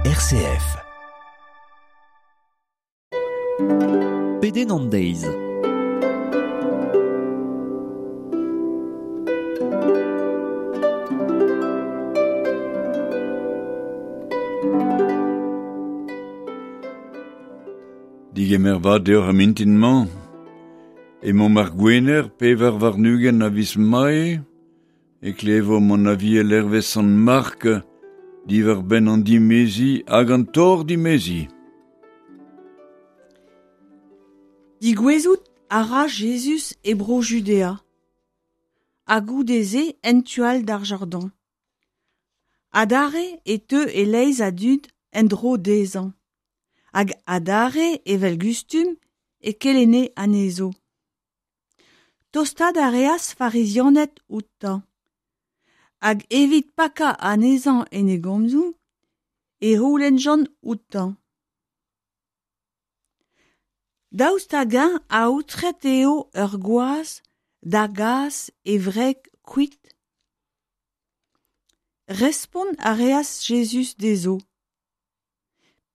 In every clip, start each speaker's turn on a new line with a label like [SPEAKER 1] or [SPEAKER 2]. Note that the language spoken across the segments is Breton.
[SPEAKER 1] RCF.
[SPEAKER 2] Pedenn an deiz.
[SPEAKER 3] Digemer vat deoc'h ar mintin-mañ. Emaomp ar Gwener, 24 a viz Mae, e klevomp an aviel hervez Sant Mark diwar-benn an dimeziñ hag an torr dimeziñ.
[SPEAKER 4] Digouezout a ra Jezuz e Bro-Judea, ha goude-se en tu all d'ar Jordan. Adarre e teu e-leizh a dud en-dro dezhañ, hag adarre, evel gustum, e kelenne anezho. Tostaat a reas Farizianed outañ, hag evit pakañ anezhañ en e gomzoù e c'houlennjont outañ. Daoust hag-eñ aotret eo ur gwaz da gas e wreg kuit ? Respont a reas Jezuz dezho.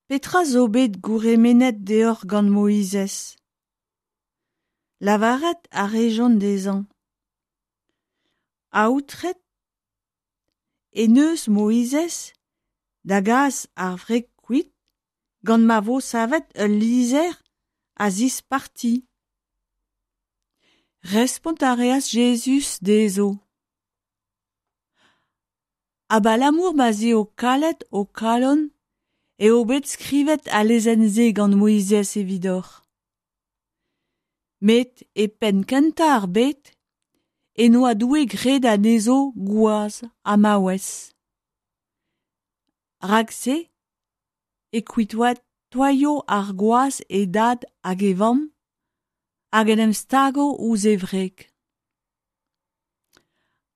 [SPEAKER 4] Petra zo bet gourc'hemennet deoc'h gant Moizez ? Lavaret a rejont dezhañ. Aotret en deus Moizez da gas ar wreg kuit gant ma vo savet ul lizher a zisparti. Respont a reas Jezuz dezho. Abalamour ma'z eo kalet ho kalon eo bet skrivet al lezenn-se gant Moizez evidoc'h. Met e penn-kentañ ar bed en doa Doue graet anezho gwaz ha maouez. Rak-se e kuitaio ar gwaz e dad hag e vamm hag en em stago ouzh e wreg.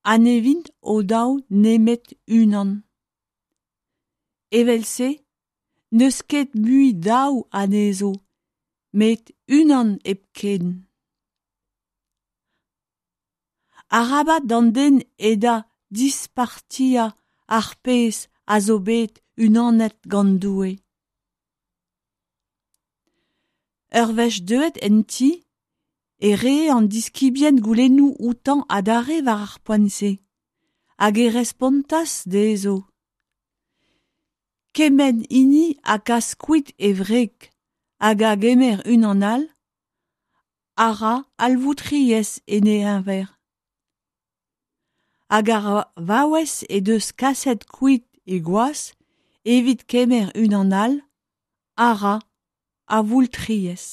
[SPEAKER 4] Ha ne vint o-daou nemet unan. Evel-se n'eus ket mui daou anezho, met unan hepken. Arabat d'an den eda dispartiañ ar pezh a zo bet unanet gant Doue. Ur wech deuet en ti e ree an diskibien goulennoù outañ adarre war ar poent-se, hag e respontas dezho. Kement hini a gas kuit e wreg hag a gemer unan all, a ra avoultriezh en he c'heñver. Hag ar vaouez he deus kaset kuit he gwaz evit kemer unan all, a ra avoultriezh.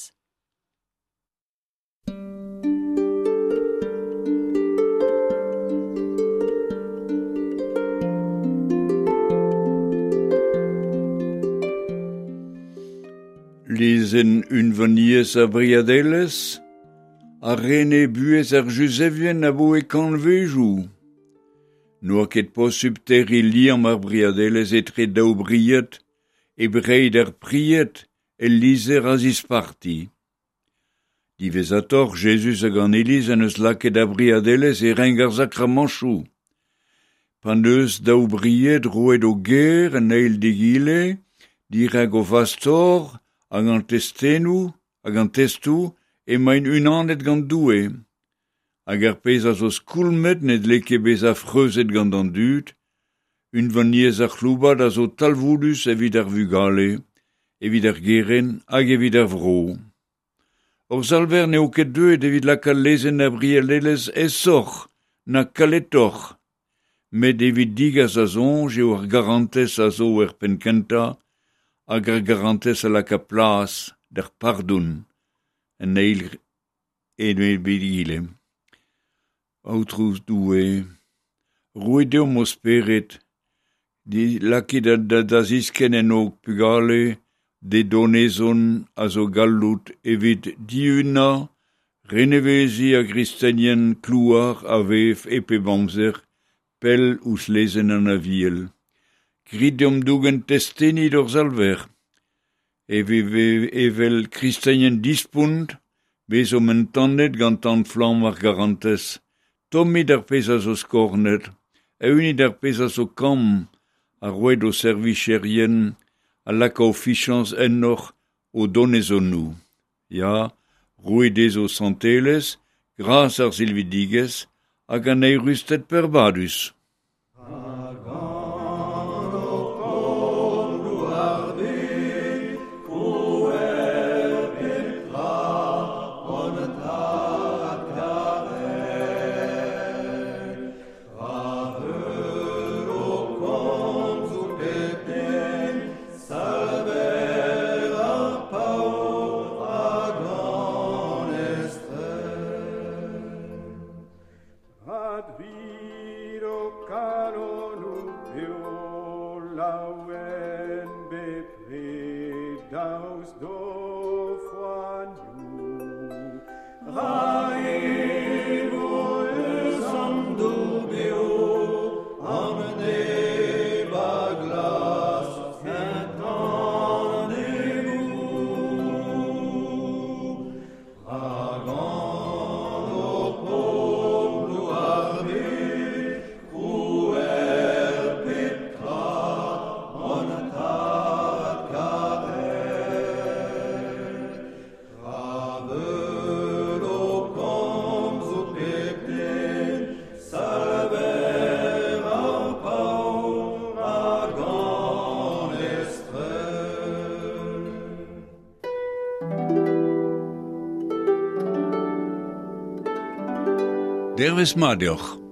[SPEAKER 3] Lezenn unvaniezh ar briadelezh a rene buhez ar Juzevien abaoe kantvejoù. N'oa ket posupl terriñ liamm ar briadelezh etre daou bried hep reiñ d'ar pried ul lizher a zisparti. Diwezhatoc'h, Jezuz hag an Iliz en deus lakaet ar briadelezh e renk ar sakramantoù. P'en deus daou bried roet o ger an eil d'egile dirak o fastor hag an testennoù hag an testoù emaint unanet gant Doue. Hag ar pezh a zo skoulmet ne dle ket bezañ freuzet gant an dud. Unvaniezh ar c'hloubad a zo talvoudus evit ar vugale, evit ar gerent hag evit ar vro. Hor Salver n'eo ket deuet evit lakaat lezenn ar brielelezh aesoc'h na kaletoc'h, met evit degas da soñj eo ar garantez a zo er penn-kentañ hag ar garantez a laka plas d'ar pardon an eil egile. Aotrou Doue, roit deomp ho spered, lakit da ziskenn en ho pugale d'e donezon a zo galloud evit dihunañ, reneveziñ ar gristenien klouar a vev e pep amzer, pell ouzh lezenn an Aviel. Grit deomp dougen testeni d'hor Salver. Evel kristenien dispont, bezomp entanet gant tan-flamm ar garantez. Tommit ar pezh a zo skornet, eeunit ar pezh a zo kamm, ha roit ho servicherien a laka o fiziañs ennoc'h o donezonoù. Ya, roit dezho santelezh, gras ar silvidigezh hag an eürusted peurbadus. Dervezh mat deoc'h.